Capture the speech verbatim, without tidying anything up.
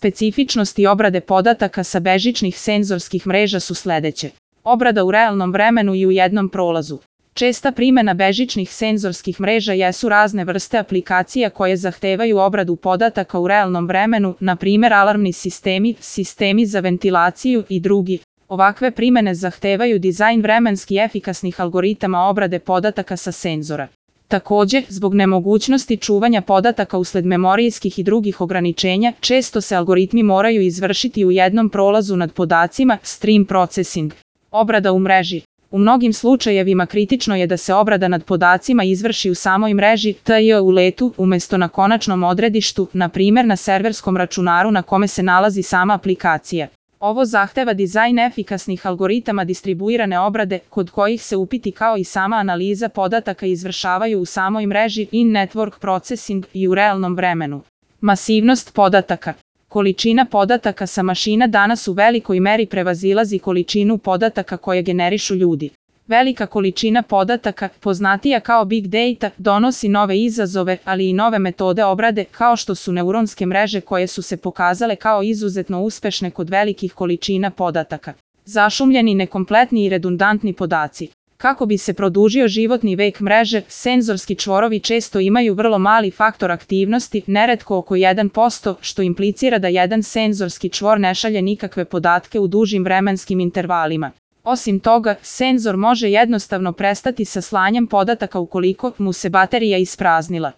Specifičnosti obrade podataka sa bežičnih senzorskih mreža su sledeće. Obrada u realnom vremenu i u jednom prolazu. Česta primena bežičnih senzorskih mreža jesu razne vrste aplikacija koje zahtevaju obradu podataka u realnom vremenu, na primer alarmni sistemi, sistemi za ventilaciju i drugi. Ovakve primene zahtevaju dizajn vremenski efikasnih algoritama obrade podataka sa senzora. Takođe, zbog nemogućnosti čuvanja podataka usled memorijskih i drugih ograničenja, često se algoritmi moraju izvršiti u jednom prolazu nad podacima, stream processing. Obrada u mreži. U mnogim slučajevima kritično je da se obrada nad podacima izvrši u samoj mreži, to jest u letu, umesto na konačnom odredištu, na primer na serverskom računaru na kome se nalazi sama aplikacija. Ovo zahteva dizajn efikasnih algoritama distribuirane obrade, kod kojih se upiti kao i sama analiza podataka izvršavaju u samoj mreži in-network processing i u realnom vremenu. Masivnost podataka. Količina podataka sa mašina danas u velikoj meri prevazilazi količinu podataka koje generišu ljudi. Velika količina podataka, poznatija kao big data, donosi nove izazove, ali i nove metode obrade, kao što su neuronske mreže koje su se pokazale kao izuzetno uspešne kod velikih količina podataka. Zašumljeni, nekompletni i redundantni podaci. Kako bi se produžio životni vek mreže, senzorski čvorovi često imaju vrlo mali faktor aktivnosti, neretko oko jedan posto, što implicira da jedan senzorski čvor ne šalje nikakve podatke u dužim vremenskim intervalima. Osim toga, senzor može jednostavno prestati sa slanjem podataka ukoliko mu se baterija ispraznila.